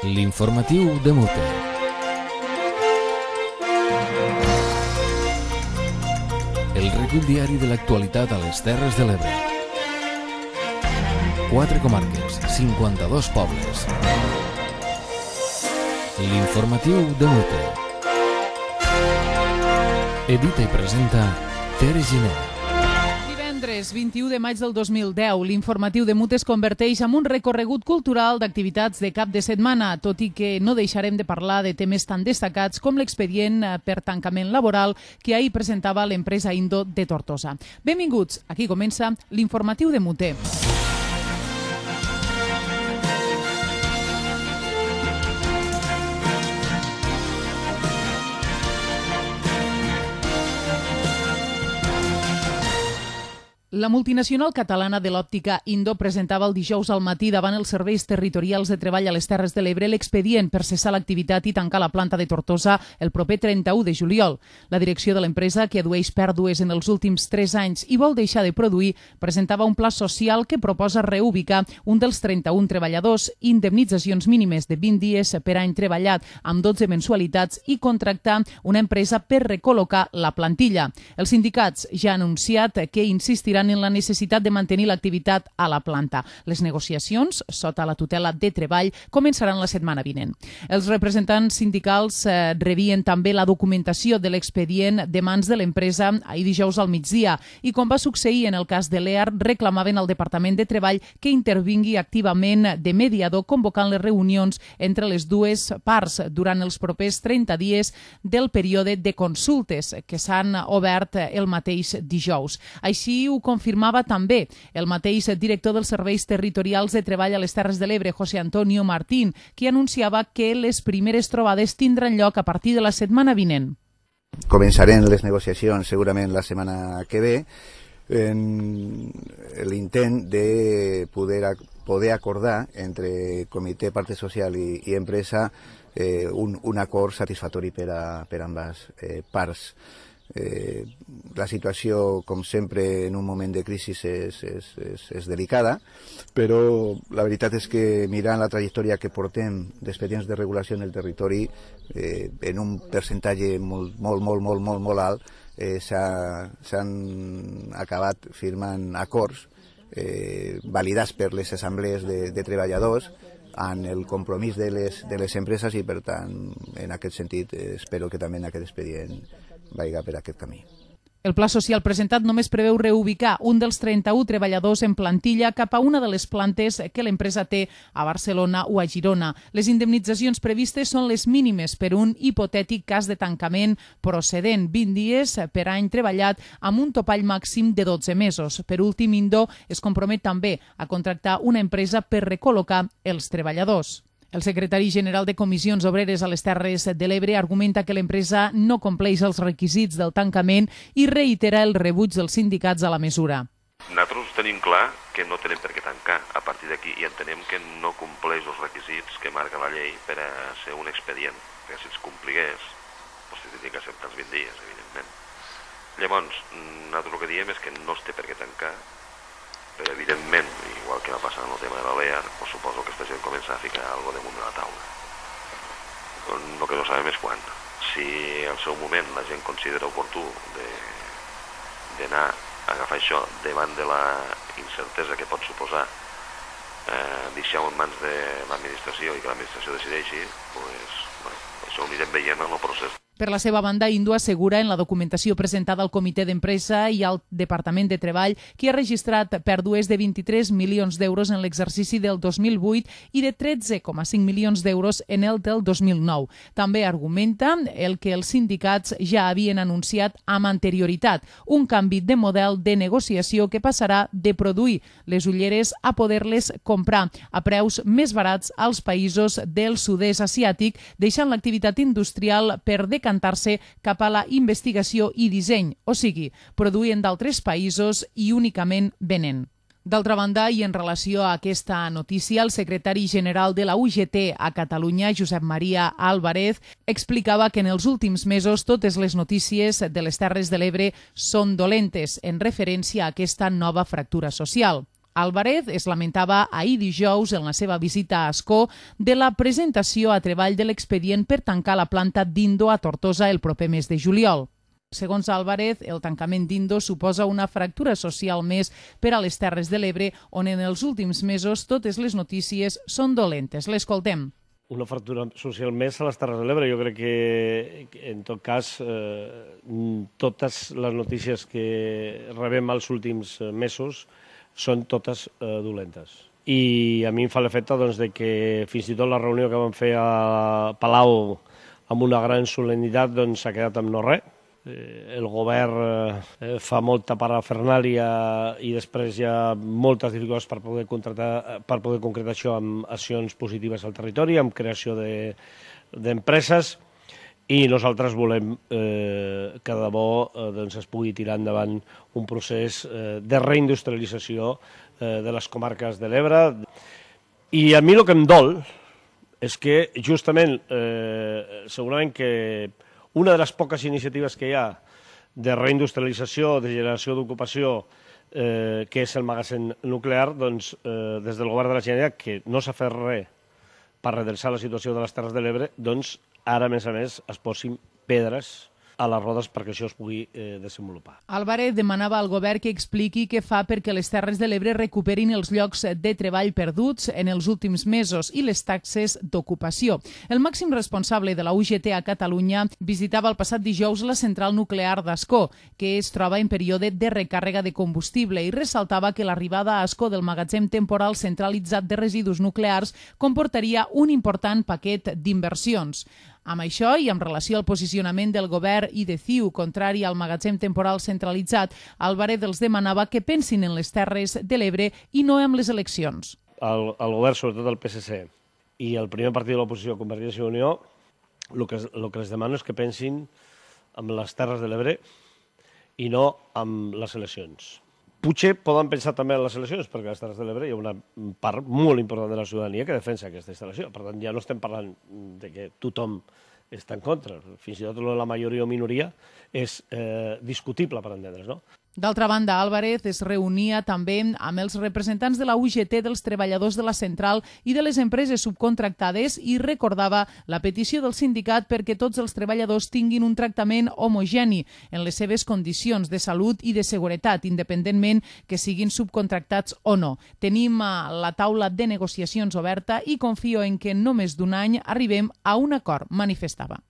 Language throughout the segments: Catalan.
L'informatiu de Mute. El recull diari de l'actualitat a les Terres de l'Ebre. 4 comarques, 52 pobles. L'informatiu de Mute. Edita i presenta Tere Giner. Divendres 21 de maig del 2010, l'informatiu de Mute es converteix en un recorregut cultural d'activitats de cap de setmana, tot i que no deixarem de parlar de temes tan destacats com l'expedient per tancament laboral que ahir presentava l'empresa Indo de Tortosa. Benvinguts, aquí comença l'informatiu de Mute. La multinacional catalana de l'òptica Indo presentava el dijous al matí davant els serveis territorials de treball a les Terres de l'Ebre l'expedient per cessar l'activitat i tancar la planta de Tortosa el proper 31 de juliol. La direcció de l'empresa, que adueix pèrdues en els últims 3 anys i vol deixar de produir, presentava un pla social que proposa reubicar un dels 31 treballadors, indemnitzacions mínimes de 20 dies per any treballat amb 12 mensualitats i contractar una empresa per recol·locar la plantilla. Els sindicats ja han anunciat que insistiran en la necessitat de mantenir l'activitat a la planta. Les negociacions, sota la tutela de Treball, començaran la setmana vinent. Els representants sindicals rebien també la documentació de l'expedient de mans de l'empresa ahir dijous al migdia i, com va succeir en el cas de l'EAR, reclamaven al Departament de Treball que intervingui activament de mediador convocant les reunions entre les dues parts durant els propers 30 dies del període de consultes que s'han obert el mateix dijous. Així ho confirmava també el mateix director dels serveis territorials de treball a les Terres de l'Ebre, José Antonio Martín, que anunciava que les primeres trobades tindran lloc a partir de la setmana vinent. Començarem les negociacions segurament la setmana que ve en l'intent de poder acordar entre comitè, part social i empresa un acord satisfactori per a ambes parts. La situació, com sempre, en un moment de crisi és delicada, però la veritat és que mirant la trajectòria que portem d'expedients de regulació en el territori, en un percentatge molt alt, s'han acabat firmant acords validats per les assemblees de treballadors amb el compromís de les empreses i, per tant, en aquest sentit, espero que també en aquest expedient vaiga per aquest camí. El pla social presentat només preveu reubicar un dels 31 treballadors en plantilla cap a una de les plantes que l'empresa té a Barcelona o a Girona. Les indemnitzacions previstes són les mínimes per un hipotètic cas de tancament procedent, 20 dies per any treballat amb un topall màxim de 12 mesos. Per últim, Indo es compromet també a contractar una empresa per recol·locar els treballadors. El secretari general de Comissions Obreres a les Terres de l'Ebre argumenta que l'empresa no compleix els requisits del tancament i reitera el rebuig dels sindicats a la mesura. Nosaltres tenim clar que no tenim per què tancar a partir d'aquí i entenem que no compleix els requisits que marca la llei per a ser un expedient, que si els compligués, doncs tindria que acceptar els 20 dies, evidentment. Llavors, nosaltres el que diem és que no es té per què tancar, però evidentment, igual que va passar en el tema de la LEAR, pues suposo que després hem començat a ficar alguna cosa damunt de la taula. El que no sabem és quan. Si al seu moment la gent considera oportú d'anar a agafar això davant de la incertesa que pot suposar deixar-ho en mans de l'administració i que l'administració decideixi, pues, això ho anirem veient en el procés. Per la seva banda, Indo assegura en la documentació presentada al Comitè d'Empresa i al Departament de Treball que ha registrat pèrdues de 23 milions d'euros en l'exercici del 2008 i de 13,5 milions d'euros en el del 2009. També argumenta el que els sindicats ja havien anunciat amb anterioritat, un canvi de model de negociació que passarà de produir les ulleres a poder-les comprar a preus més barats als països del sud-est asiàtic, deixant l'activitat industrial per decantar-se cap a la investigació i disseny, o sigui, produint d'altres països i únicament venent. D'altra banda, i en relació a aquesta notícia, el secretari general de la UGT a Catalunya, Josep Maria Álvarez, explicava que en els últims mesos totes les notícies de les Terres de l'Ebre són dolentes en referència a aquesta nova fractura social. Álvarez es lamentava ahir dijous en la seva visita a Ascó de la presentació a treball de l'expedient per tancar la planta d'Indo a Tortosa el proper mes de juliol. Segons Álvarez, el tancament d'Indo suposa una fractura social més per a les Terres de l'Ebre, on en els últims mesos totes les notícies són dolentes. L'escoltem. Una fractura social més a les Terres de l'Ebre. Jo crec que, en tot cas, totes les notícies que rebem els últims mesos són totes dolentes. I a mi em fa l'efecte que fins i tot la reunió que vam fer a Palau amb una gran solemnitat s'ha quedat amb no res. El govern fa molta parafernàlia i després hi ha moltes dificultats per poder concretar això amb accions positives al territori, amb creació d'empreses, i nosaltres volem que de debò es pugui tirar endavant un procés de reindustrialització de les comarques de l'Ebre. I a mi el que em dol és que justament, segurament que una de les poques iniciatives que hi ha de reindustrialització, de generació d'ocupació, que és el magatzem nuclear, des del govern de la Generalitat, que no s'ha fet res per redreçar la situació de les Terres de l'Ebre, ara, a més, es posin pedres a les rodes perquè això es pugui desenvolupar. Álvarez demanava al govern que expliqui què fa perquè les Terres de l'Ebre recuperin els llocs de treball perduts en els últims mesos i les taxes d'ocupació. El màxim responsable de la UGT a Catalunya visitava el passat dijous la central nuclear d'Ascó, que es troba en període de recàrrega de combustible, i ressaltava que l'arribada a Ascó del magatzem temporal centralitzat de residus nuclears comportaria un important paquet d'inversions. Amb això i en relació al posicionament del govern i de CiU contrari al magatzem temporal centralitzat, Álvarez els demanava que pensin en les Terres de l'Ebre i no en les eleccions. El govern, sobretot el PSC, i el primer partit de l'oposició, Convergència i Unió, el que els demano és que pensin en les Terres de l'Ebre i no en les eleccions. Potser poden pensar també en les eleccions, perquè a les Terres de l'Ebre hi ha una part molt important de la ciutadania que defensa aquesta instal·lació. Per tant, ja no estem parlant de que tothom està en contra. Fins i tot la majoria o minoria és discutible, per entendre's, no? D'altra banda, Álvarez es reunia també amb els representants de la UGT, dels treballadors de la central i de les empreses subcontractades i recordava la petició del sindicat perquè tots els treballadors tinguin un tractament homogeni en les seves condicions de salut i de seguretat, independentment que siguin subcontractats o no. Tenim la taula de negociacions oberta i confio en que en no més d'un any arribem a un acord, manifestava.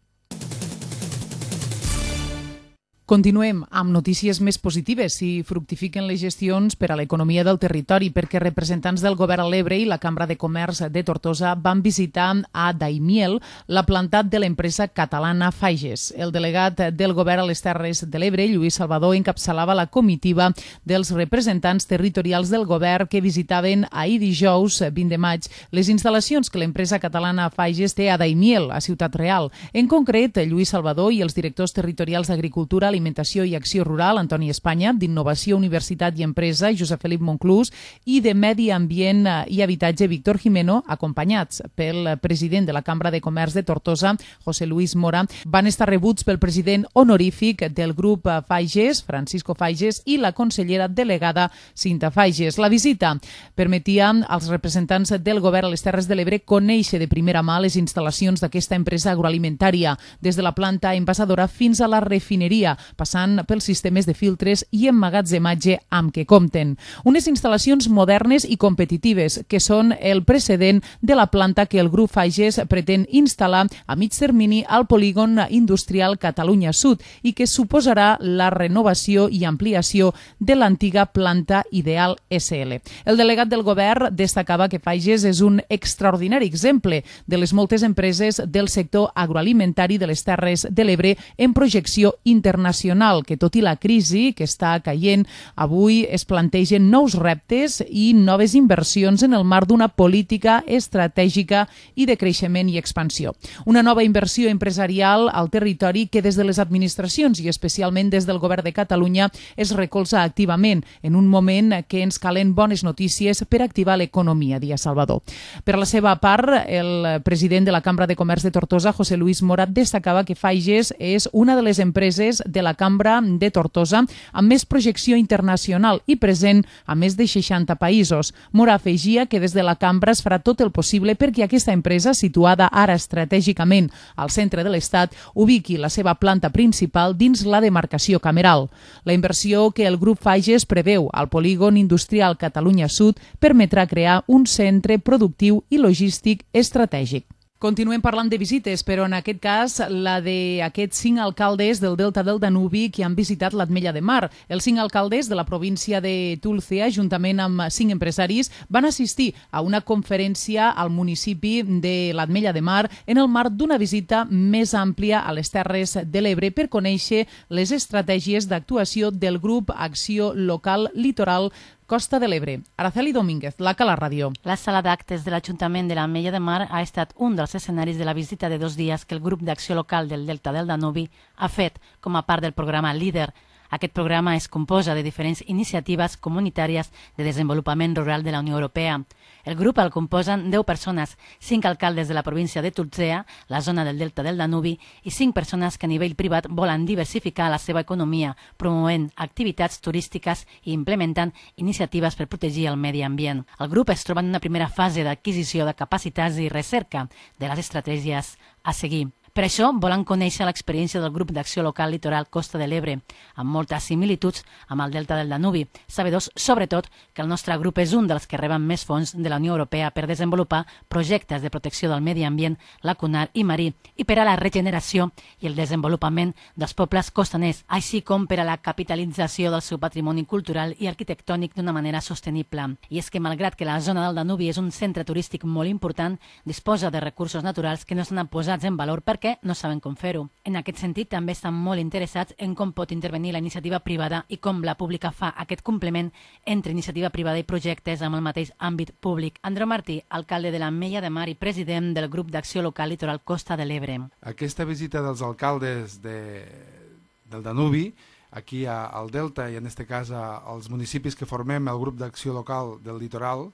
Continuem amb notícies més positives i fructifiquen les gestions per a l'economia del territori, perquè representants del govern a l'Ebre i la Cambra de Comerç de Tortosa van visitar a Daimiel la planta de l'empresa catalana Fages. El delegat del govern a les Terres de l'Ebre, Lluís Salvador, encapçalava la comitiva dels representants territorials del govern que visitaven ahir dijous 20 de maig les instal·lacions que l'empresa catalana Fages té a Daimiel, a Ciutat Real. En concret, Lluís Salvador i els directors territorials d'Agricultura, Alimentació i Acció Rural, Antoni Espanya, d'Innovació, Universitat i Empresa, Josep Felip Monclús, i de Medi Ambient i Habitatge, Víctor Jimeno, acompanyats pel president de la Cambra de Comerç de Tortosa, José Luis Mora, van estar rebuts pel president honorífic del grup Fages, Francisco Fages, i la consellera delegada Cinta Fages. La visita permetia als representants del govern a les Terres de l'Ebre conèixer de primera mà les instal·lacions d'aquesta empresa agroalimentària, des de la planta envasadora fins a la refineria, passant pels sistemes de filtres i emmagatzematge amb què compten. Unes instal·lacions modernes i competitives que són el precedent de la planta que el grup Fages pretén instal·lar a mig termini al polígon industrial Catalunya Sud i que suposarà la renovació i ampliació de l'antiga planta Ideal SL. El delegat del govern destacava que Fages és un extraordinari exemple de les moltes empreses del sector agroalimentari de les Terres de l'Ebre en projecció internacional, que tot i la crisi que està caient, avui es plantegen nous reptes i noves inversions en el marc d'una política estratègica i de creixement i expansió. Una nova inversió empresarial al territori que des de les administracions i especialment des del govern de Catalunya es recolza activament en un moment que ens calen bones notícies per activar l'economia, dia Salvador. Per la seva part, el president de la Cambra de Comerç de Tortosa, José Luis Mora, destacava que Fages és una de les empreses de la Cambra de Tortosa, amb més projecció internacional i present a més de 60 països. Mora afegia que des de la Cambra es farà tot el possible perquè aquesta empresa, situada ara estratègicament al centre de l'Estat, ubiqui la seva planta principal dins la demarcació cameral. La inversió que el grup Fages preveu al polígon industrial Catalunya Sud permetrà crear un centre productiu i logístic estratègic. Continuem parlant de visites, però en aquest cas la d'aquests 5 alcaldes del Delta del Danubi que han visitat l'Ametlla de Mar. Els 5 alcaldes de la província de Tulcea, juntament amb 5 empresaris, van assistir a una conferència al municipi de l'Ametlla de Mar en el marc d'una visita més àmplia a les Terres de l'Ebre per conèixer les estratègies d'actuació del grup Acció Local Litoral Costa de l'Ebre. Araceli Domínguez, la Cala Ràdio. La sala d'actes de l'Ajuntament de l'Ametlla de Mar ha estat un dels escenaris de la visita de 2 dies que el grup d'acció local del Delta del Danubi ha fet com a part del programa LEADER. Aquest programa es composa de diferents iniciatives comunitàries de desenvolupament rural de la Unió Europea. El grup el composen 10 persones, 5 alcaldes de la província de Tulcea, la zona del Delta del Danubi, i 5 persones que a nivell privat volen diversificar la seva economia, promovent activitats turístiques i implementant iniciatives per protegir el medi ambient. El grup es troba en una primera fase d'adquisició de capacitats i recerca de les estratègies a seguir. Per això volen conèixer l'experiència del grup d'acció local litoral Costa de l'Ebre, amb moltes similituds amb el Delta del Danubi, sabedors sobretot que el nostre grup és un dels que reben més fons de la Unió Europea per desenvolupar projectes de protecció del medi ambient lacunar i marí i per a la regeneració i el desenvolupament dels pobles costaners, així com per a la capitalització del seu patrimoni cultural i arquitectònic d'una manera sostenible. I és que malgrat que la zona del Danubi és un centre turístic molt important, disposa de recursos naturals que no estan posats en valor perquè no saben com fer-ho. En aquest sentit, també estan molt interessats en com pot intervenir la iniciativa privada i com la pública fa aquest complement entre iniciativa privada i projectes amb el mateix àmbit públic. Andreu Martí, alcalde de l'Ametlla de Mar i president del grup d'acció local litoral Costa de l'Ebre. Aquesta visita dels alcaldes del Danubi, aquí al Delta i en aquest cas als municipis que formem el grup d'acció local del litoral,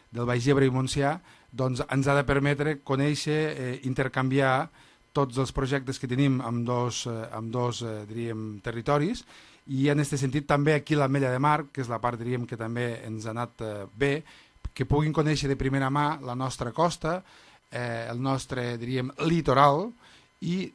del Baix Ebre i Montsià, doncs ens ha de permetre conèixer, intercanviar tots els projectes que tenim amb dos diríem, territoris, i en aquest sentit també aquí l'Ametlla de Mar, que és la part diríem, que també ens ha anat bé, que puguin conèixer de primera mà la nostra costa, el nostre diríem, litoral, i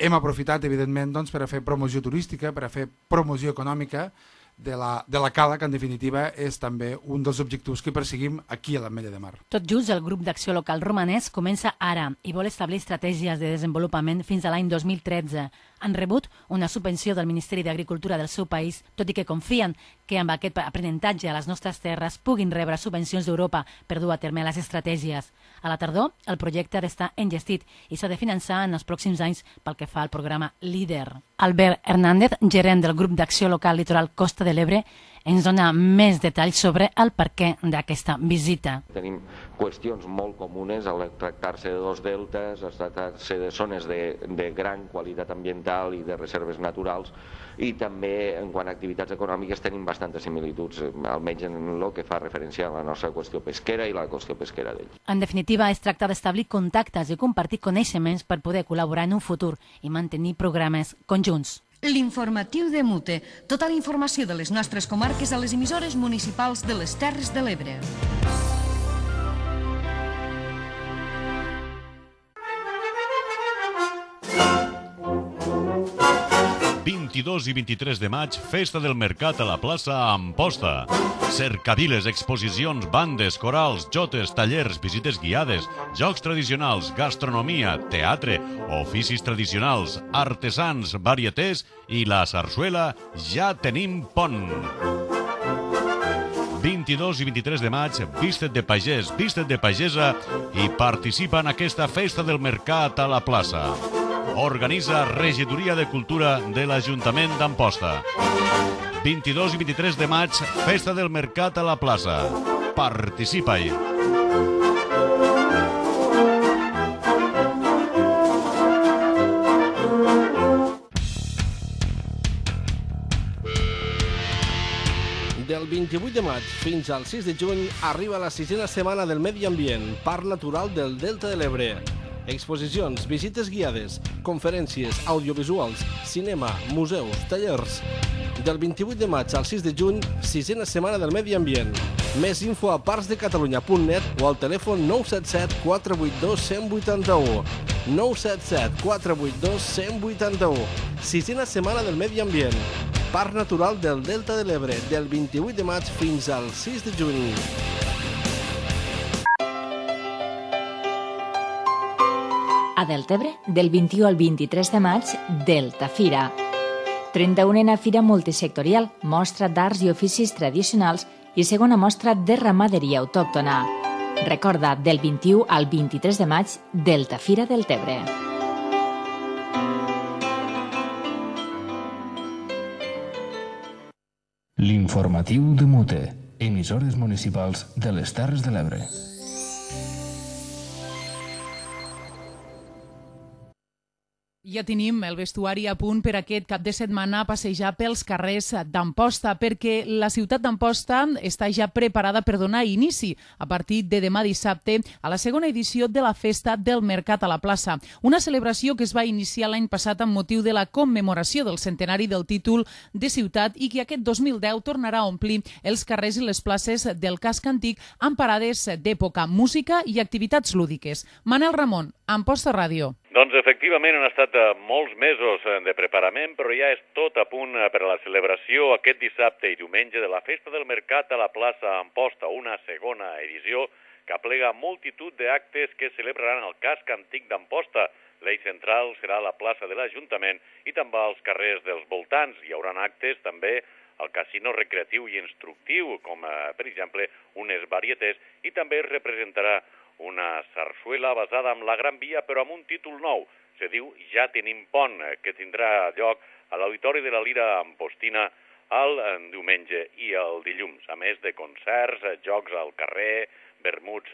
hem aprofitat evidentment doncs, per a fer promoció turística, per a fer promoció econòmica de la cala, que en definitiva és també un dels objectius que perseguim aquí a l'Ametlla de Mar. Tot just el grup d'acció local romanès comença ara i vol establir estratègies de desenvolupament fins a l'any 2013. Han rebut una subvenció del Ministeri d'Agricultura del seu país, tot i que confien que amb aquest aprenentatge a les nostres terres puguin rebre subvencions d'Europa per dur a terme les estratègies. A la tardor, el projecte ha d'estar engestit i s'ha de finançar en els pròxims anys pel que fa al programa LEADER. Albert Hernández, gerent del grup d'acció local litoral Costa de l'Ebre, ens dona més detalls sobre el perquè d'aquesta visita. Tenim qüestions molt comunes al tractar-se de dos deltes, al tractar-se de zones de gran qualitat ambiental i de reserves naturals, i també en quant a activitats econòmiques tenim bastantes similituds, almenys en el que fa referència a la nostra qüestió pesquera i la qüestió pesquera d'ells. En definitiva, es tracta d'establir contactes i compartir coneixements per poder col·laborar en un futur i mantenir programes conjunts. L'informatiu de Mute. Tota la informació de les nostres comarques a les emissores municipals de les Terres de l'Ebre. I 23 de maig, Festa del Mercat a la plaça Amposta. Cercaviles, exposicions, bandes, corals, jotes, tallers, visites guiades, jocs tradicionals, gastronomia, teatre, oficis tradicionals, artesans, varietés i la sarsuela Ja tenim pont. 22 i 23 de maig, viste't de pagès, viste't de pagesa i participa en aquesta Festa del Mercat a la plaça. Organitza Regidoria de Cultura de l'Ajuntament d'Amposta. 22 i 23 de maig, Festa del Mercat a la plaça. Participa-hi! Del 28 de maig fins al 6 de juny arriba la 6a setmana del Medi Ambient, Parc Natural del Delta de l'Ebre. exposicions, visites guiades, conferències, audiovisuals, cinema, museus, tallers. Del 28 de maig al 6 de juny, 6a Setmana del Medi Ambient. Més info a parcsdecatalunya.net o al telèfon 977 482 181. 977 482 181. 6a Setmana del Medi Ambient. Parc Natural del Delta de l'Ebre, del 28 de maig fins al 6 de juny. A Deltebre, del 21 al 23 de maig, Delta Fira. 31a Fira Multisectorial, mostra d'arts i oficis tradicionals i segona mostra de ramaderia autòctona. Recorda, del 21 al 23 de maig, Delta Fira Deltebre. L'informatiu de Mute, emissores municipals de les Terres de l'Ebre. Ja tenim el vestuari a punt per aquest cap de setmana a passejar pels carrers d'Amposta, perquè la ciutat d'Amposta està ja preparada per donar inici a partir de demà dissabte a la segona edició de la Festa del Mercat a la Plaça. Una celebració que es va iniciar l'any passat amb motiu de la commemoració del centenari del títol de ciutat i que aquest 2010 tornarà a omplir els carrers i les places del casc antic amb parades d'època, música i activitats lúdiques. Manel Ramon, Amposta Ràdio. Doncs efectivament han estat molts mesos de preparament, però ja és tot a punt per a la celebració aquest dissabte i diumenge de la Festa del Mercat a la plaça Amposta, una segona edició que aplega multitud d'actes que celebraran el casc antic d'Amposta. L'eix central serà la plaça de l'Ajuntament i també als carrers dels voltants. Hi haurà actes també al casino recreatiu i instructiu, com per exemple unes varietés, i també es representarà una sarsuela basada en la Gran Via, però amb un títol nou. Se diu Ja tenim pont, que tindrà lloc a l'Auditori de la Lira Ampostina el diumenge i el dilluns, a més de concerts, jocs al carrer, vermuts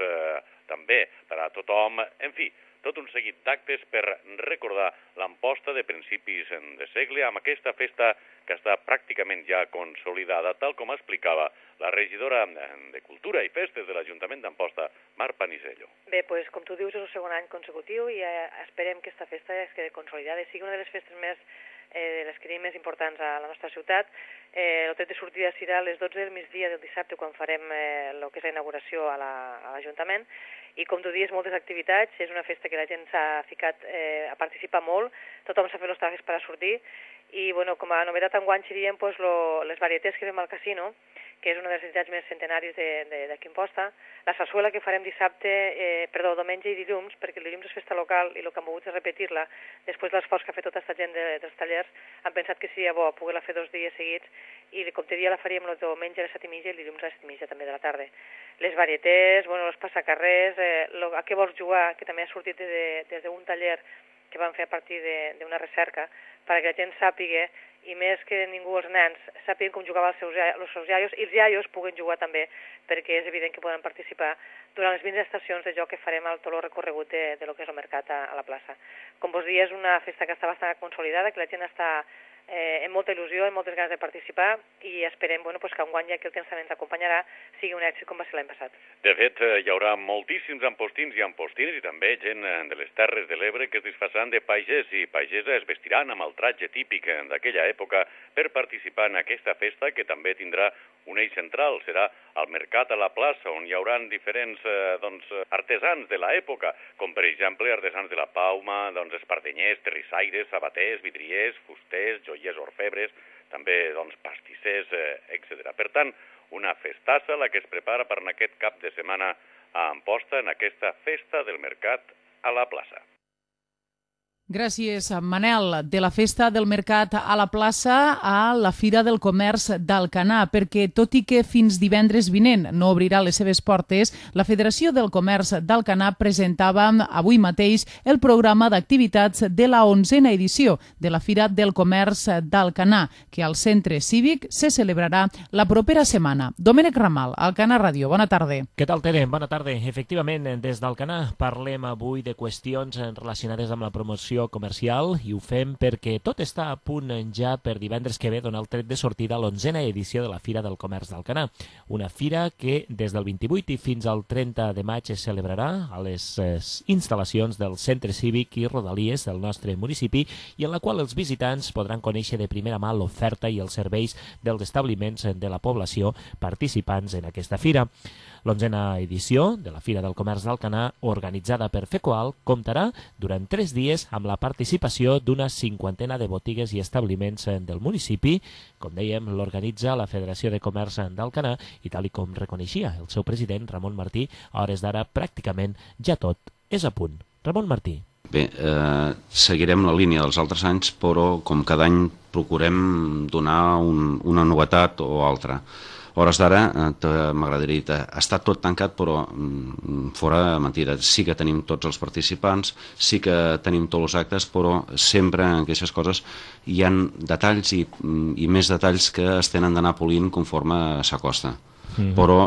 també per a tothom, en fi, tot un seguit d'actes per recordar l'Amposta de principis de segle amb aquesta festa que està pràcticament ja consolidada, tal com explicava la regidora de Cultura i Festes de l'Ajuntament d'Amposta, Mar Panisello. Bé, doncs, com tu dius, és el segon any consecutiu i esperem que aquesta festa es quedi consolidada i sigui una de les festes més les que tenim més importants a la nostra ciutat. El tret de sortida serà a les 12 del migdia del dissabte quan farem el que és la inauguració a l'Ajuntament i com tu dius, moltes activitats, és una festa que la gent s'ha ficat a participar molt, tothom s'ha fet els trajes per a sortir i bueno, com a novetat enguany serien pues, les varietés que fem al casino, que és una de les entitats més centenaris d'aquí Amposta, la sarsuela que farem diumenge i dilluns, perquè el dilluns és festa local i el que hem volgut és repetir-la, després de l'esforç que ha fet tota aquesta gent dels tallers, han pensat que seria bo poder-la fer 2 dies seguits i com te dia la faríem el diumenge a les 7:30 i el dilluns a les 7:30 també de la tarda. Les varietés, els passacarrers, a què vols jugar, que també ha sortit des d'un taller que van fer a partir d'una recerca, perquè la gent sàpiga, i més que ningú, els nens, sàpiguen com jugaven els seus iaios, i els iaios puguen jugar també, perquè és evident que poden participar durant les 20 estacions de joc que farem al tot el recorregut de lo que és el mercat a la plaça. Com vos dia, és una festa que està bastant consolidada, que la gent està amb molta il·lusió, amb moltes ganes de participar i esperem que enguany, ja que el temps també ens acompanyarà, sigui un èxit com va ser l'any passat. De fet, hi haurà moltíssims ampostins i ampostines i també gent de les Terres de l'Ebre que es disfressaran de pagès i pagesa es vestiran amb el tratge típic d'aquella època per participar en aquesta festa que també tindrà un eix central. Serà el mercat a la plaça on hi haurà diferents artesans de l'època, com per exemple artesans de la Pauma, espardenyers, terrissaires, sabaters, vidriers, fusters, joiers orfebres, també pastissers, etc. Per tant, una festassa la que es prepara per aquest cap de setmana a Amposta en aquesta festa del mercat a la plaça. Gràcies, Manel. De la Festa del Mercat a la plaça a la Fira del Comerç d'Alcanar, perquè tot i que fins divendres vinent no obrirà les seves portes, la Federació del Comerç d'Alcanar presentava avui mateix el programa d'activitats de la 11a edició de la Fira del Comerç d'Alcanar, que al Centre Cívic se celebrarà la propera setmana. Domènec Ramal, Alcanar Ràdio, bona tarda. Què tal, Tere? Bona tarda. Efectivament, des d'Alcanar parlem avui de qüestions relacionades amb la promoció promoció comercial i ho fem perquè tot està a punt ja per divendres que ve donar el tret de sortida a l'11a edició de la Fira del Comerç d'Alcanar. Una fira que des del 28 i fins al 30 de maig es celebrarà a les instal·lacions del Centre Cívic i Rodalies del nostre municipi i en la qual els visitants podran conèixer de primera mà l'oferta i els serveis dels establiments de la població participants en aquesta fira. L'11a edició de la Fira del Comerç d'Alcanar, organitzada per FECOAL, comptarà durant 3 dies amb la participació d'una 50ena de botigues i establiments del municipi. Com dèiem, l'organitza la Federació de Comerç d'Alcanar i tal com reconeixia el seu president, Ramon Martí, a hores d'ara pràcticament ja tot és a punt. Ramon Martí. Bé, seguirem la línia dels altres anys, però com cada any procurem donar una novetat o altra. A hores d'ara m'agradaria dir, està tot tancat però fora mentida. Sí que tenim tots els participants, sí que tenim tots els actes, però sempre en aquestes coses hi ha detalls i més detalls que es tenen d'anar polint conforme s'acosta. Però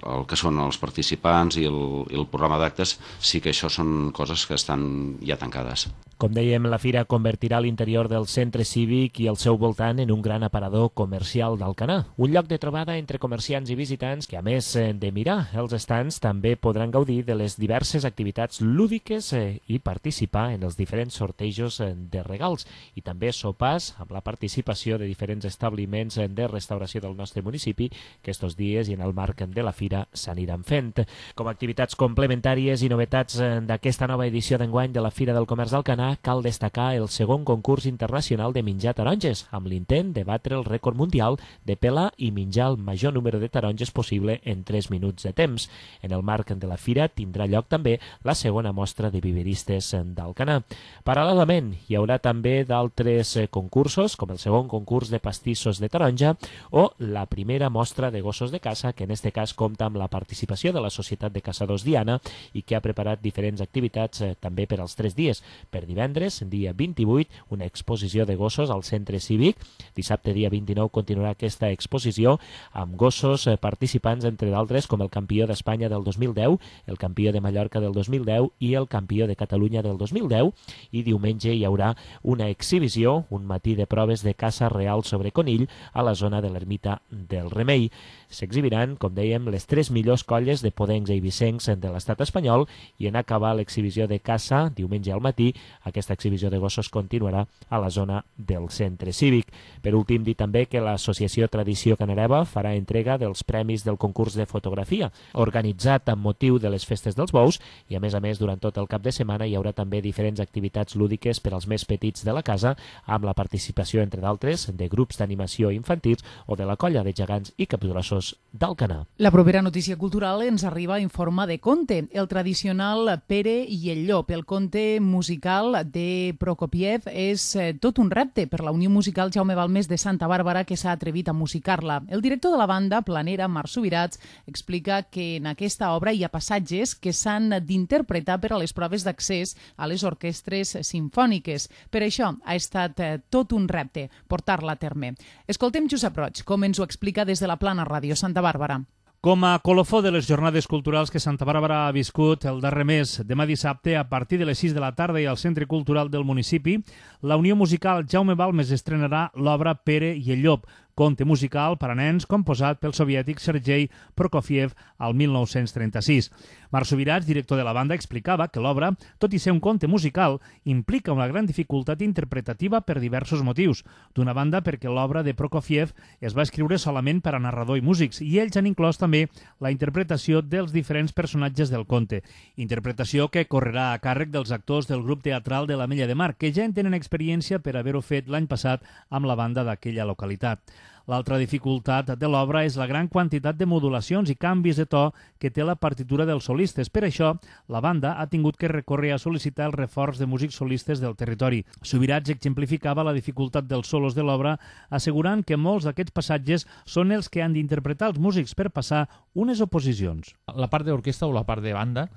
el que són els participants i el programa d'actes sí que això són coses que estan ja tancades. Com dèiem, la fira convertirà l'interior del centre cívic i el seu voltant en un gran aparador comercial d'Alcanar, un lloc de trobada entre comerciants i visitants que, a més de mirar els estants, també podran gaudir de les diverses activitats lúdiques i participar en els diferents sortejos de regals i també sopars amb la participació de diferents establiments de restauració del nostre municipi que estos dies i en el marc de la fira s'aniran fent. Com a activitats complementàries i novetats d'aquesta nova edició d'enguany de la Fira del Comerç d'Alcanar, cal destacar el segon concurs internacional de menjar taronges, amb l'intent de batre el rècord mundial de pelar i menjar el major número de taronges possible en 3 minuts de temps. En el marc de la fira tindrà lloc també la segona mostra de viveristes d'Alcanar. Paral·lelament, hi haurà també d'altres concursos, com el segon concurs de pastissos de taronja o la primera mostra de gossos de caça, que en este cas compta amb la participació de la Societat de Caçadors Diana i que ha preparat diferents activitats també per als 3 dies. Per divendres, dia 28, una exposició de gossos al centre cívic. Dissabte, dia 29, continuarà aquesta exposició amb gossos participants, entre d'altres, com el campió d'Espanya del 2010, el campió de Mallorca del 2010 i el campió de Catalunya del 2010. I diumenge hi haurà una exhibició, un matí de proves de caça real sobre conill a la zona de l'ermita del Remei. S'exhibiran, com dèiem, les 3 millors colles de podencs i eivissencs de l'estat espanyol i en acabar l'exhibició de caça, diumenge al matí, aquesta exhibició de gossos continuarà a la zona del centre cívic. Per últim, dir també que l'associació Tradició Canareva farà entrega dels premis del concurs de fotografia, organitzat amb motiu de les festes dels bous i, a més, durant tot el cap de setmana hi haurà també diferents activitats lúdiques per als més petits de la casa, amb la participació, entre d'altres, de grups d'animació infantils o de la colla de gegants i capgrossos d'Alcanar. La propera notícia cultural ens arriba en forma de conte, el tradicional Pere i el llop. El conte musical de Prokofiev és tot un repte per la Unió Musical Jaume Balmes de Santa Bàrbara, que s'ha atrevit a musicar-la. El director de la banda, planera, Marc Subirats, explica que en aquesta obra hi ha passatges que s'han d'interpretar per a les proves d'accés a les orquestres simfòniques. Per això ha estat tot un repte portar-la a terme. Escoltem Josep Roig, com ens ho explica des de la Plana Ràdio Santa Bàrbara. Com a colofó de les jornades culturals que Santa Bàrbara ha viscut el darrer mes, demà dissabte, a partir de les 6 de la tarda i al Centre Cultural del municipi, la Unió Musical Jaume Balmes estrenarà l'obra Pere i el llop, conte musical per a nens composat pel soviètic Sergei Prokofiev al 1936. Marc Subirats, director de la banda, explicava que l'obra, tot i ser un conte musical, implica una gran dificultat interpretativa per diversos motius. D'una banda, perquè l'obra de Prokofiev es va escriure solament per a narrador i músics, i ells han inclòs també la interpretació dels diferents personatges del conte. Interpretació que correrà a càrrec dels actors del grup teatral de l'Ametlla de Mar, que ja en tenen experiència per haver-ho fet l'any passat amb la banda d'aquella localitat. L'altra dificultat de l'obra és la gran quantitat de modulacions i canvis de to que té la partitura dels solistes. Per això, la banda ha tingut que recórrer a sol·licitar el reforç de músics solistes del territori. Subirats exemplificava la dificultat dels solos de l'obra, assegurant que molts d'aquests passatges són els que han d'interpretar els músics per passar unes oposicions. La part d'orquestra o la part de banda,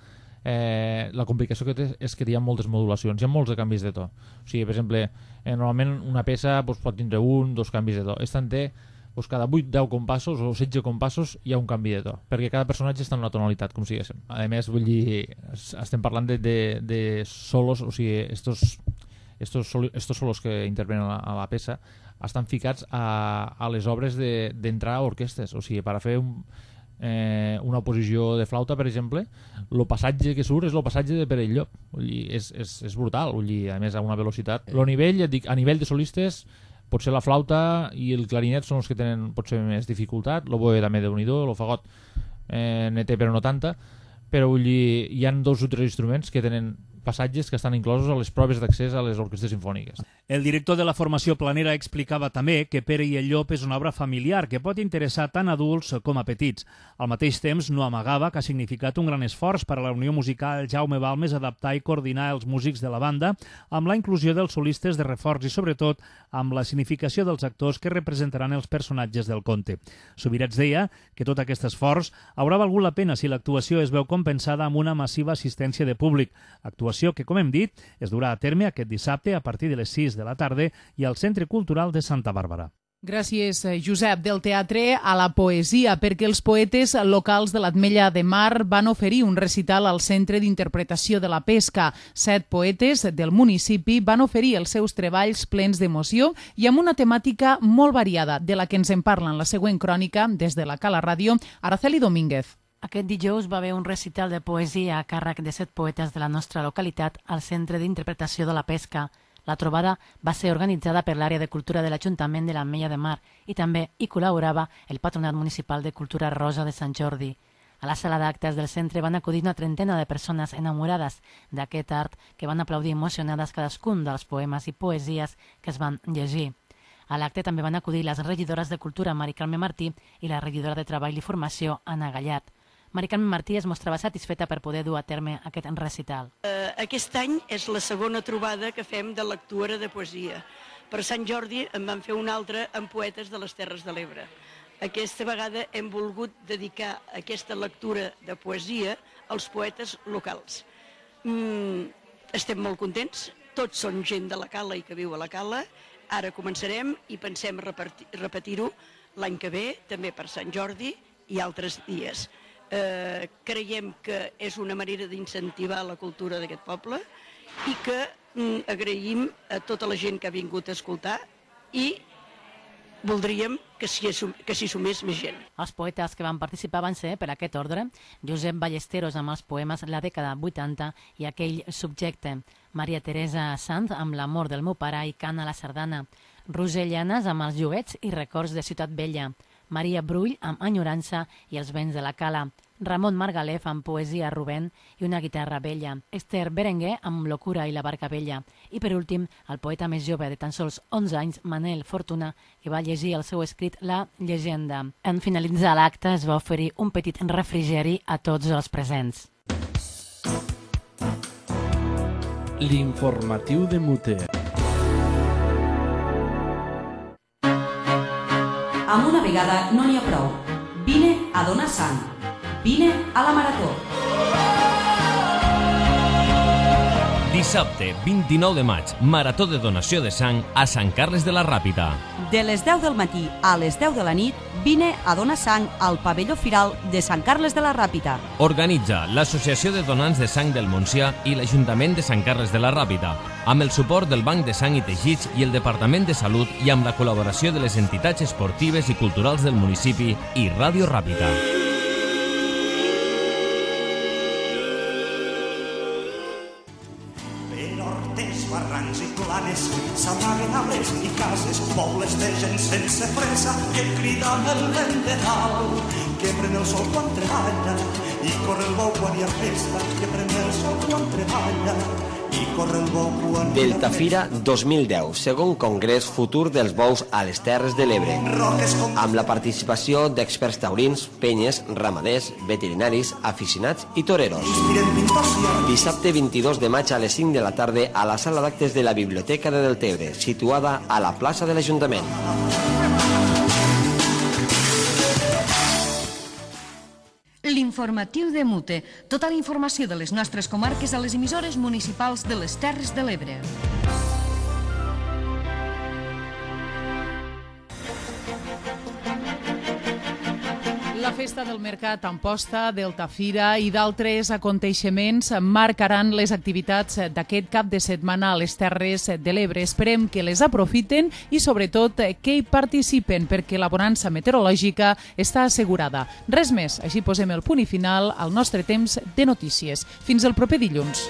la complicació que té és que hi ha moltes modulacions, hi ha molts de canvis de to. O sigui, per exemple, normalment una peça pot tindre 1 o 2 canvis de to. Esta en té doncs cada 8-10 compassos o 16 compassos hi ha un canvi de to, perquè cada personatge està en una tonalitat, com si diguéssim. A més, vull dir, estem parlant de solos, o sigui, estos solos que intervenen a la peça estan ficats a les obres d'entrar a orquestes, o sigui, per a fer una oposició de flauta, per exemple, el passatge que surt és el passatge de Pere Llop, és brutal, a més a una velocitat. El nivell, ja et dic, a nivell de solistes, potser la flauta i el clarinet són els que tenen potser més dificultat, l'oboe també déu-n'hi-do, el fagot ne té però no tanta, però hi ha 2 o 3 instruments que tenen passatges que estan inclosos a les proves d'accés a les orquestes sinfòniques. El director de la formació Planera explicava també que Pere i el Llop és una obra familiar que pot interessar tant adults com a petits. Al mateix temps, no amagava que ha significat un gran esforç per a la Unió Musical Jaume Balmes adaptar i coordinar els músics de la banda amb la inclusió dels solistes de reforç i, sobretot, amb la significació dels actors que representaran els personatges del conte. Subirats deia que tot aquest esforç haurà valgut la pena si l'actuació es veu compensada amb una massiva assistència de públic, actuació que, com hem dit, es durà a terme aquest dissabte a partir de les 6 de la tarda i al Centre Cultural de Santa Bàrbara. Gràcies, Josep. Del teatre a la poesia, perquè els poetes locals de l'Ametlla de Mar van oferir un recital al Centre d'Interpretació de la Pesca. 7 poetes del municipi van oferir els seus treballs plens d'emoció i amb una temàtica molt variada, de la que ens en parla en la següent crònica des de la Cala Ràdio, Araceli Domínguez. Aquest dijous va haver un recital de poesia a càrrec de 7 poetes de la nostra localitat al Centre d'Interpretació de la Pesca. La trobada va ser organitzada per l'àrea de cultura de l'Ajuntament de l'Ametlla de Mar i també hi col·laborava el Patronat Municipal de Cultura Rosa de Sant Jordi. A la sala d'actes del centre van acudir una trentena de persones enamorades d'aquest art que van aplaudir emocionades cadascun dels poemes i poesies que es van llegir. A l'acte també van acudir les regidores de Cultura Mari Carme Martí i la regidora de Treball i Formació Anna Gallat. Mari Carme Martí es mostrava satisfeta per poder dur a terme aquest recital. Aquest any és la segona trobada que fem de lectura de poesia. Per Sant Jordi en van fer una altra amb poetes de les Terres de l'Ebre. Aquesta vegada hem volgut dedicar aquesta lectura de poesia als poetes locals. Estem molt contents, tots són gent de la Cala i que viu a la Cala. Ara començarem i pensem repetir-ho l'any que ve, també per Sant Jordi i altres dies. Creiem que és una manera d'incentivar la cultura d'aquest poble i que agraïm a tota la gent que ha vingut a escoltar i voldríem que s'hi sumés més gent. Els poetes que van participar van ser, per aquest ordre, Josep Ballesteros amb els poemes La dècada 80 i Aquell subjecte, Maria Teresa Sanz amb L'amor del meu pare i Cana la sardana, Roser Llanes amb Els joguets i records de Ciutat Vella, Maria Brull amb Enyorança i els vents de la Cala, Ramon Margalef amb Poesia Rubén i una guitarra vella, Esther Berenguer amb Locura i la barca vella i, per últim, el poeta més jove de tan sols 11 anys, Manel Fortuna, que va llegir el seu escrit La llegenda. En finalitzar l'acte es va oferir un petit refrigeri a tots els presents. L'informatiu de Mute. Amb una vegada no n'hi ha prou. Vine a donar sang. Vine a la marató. Dissabte, 29 de maig, marató de donació de sang a Sant Carles de la Ràpita. De les 10 del matí a les 10 de la nit, vine a donar sang al pavelló firal de Sant Carles de la Ràpita. Organitza l'Associació de Donants de Sang del Montsià i l'Ajuntament de Sant Carles de la Ràpita, amb el suport del Banc de Sang i Teixits i el Departament de Salut i amb la col·laboració de les entitats esportives i culturals del municipi i Ràdio Ràpita. S'amaguen arbres i cases, pobles de gent sense fressa que criden el vent de dalt, que pren el sol quan treballa i corre el bou quan hi ha festa, que pren el sol quan treballa i corre el bou quan hi ha festa. Deltafira 2010, segon congrés futur dels bous a les Terres de l'Ebre, amb la participació d'experts taurins, penyes, ramaders, veterinaris, aficionats i toreros. Dissabte 22 de maig a les 5 de la tarda a la sala d'actes de la Biblioteca de Deltebre, situada a la plaça de l'Ajuntament. L'informatiu de Mute. Tota la informació de les nostres comarques a les emissores municipals de les Terres de l'Ebre. Festa del Mercat Amposta, Deltafira i d'altres aconteixements marcaran les activitats d'aquest cap de setmana a les Terres de l'Ebre. Esperem que les aprofiten i, sobretot, que hi participen, perquè la bonança meteorològica està assegurada. Res més, així posem el punt i final al nostre temps de notícies. Fins el proper dilluns.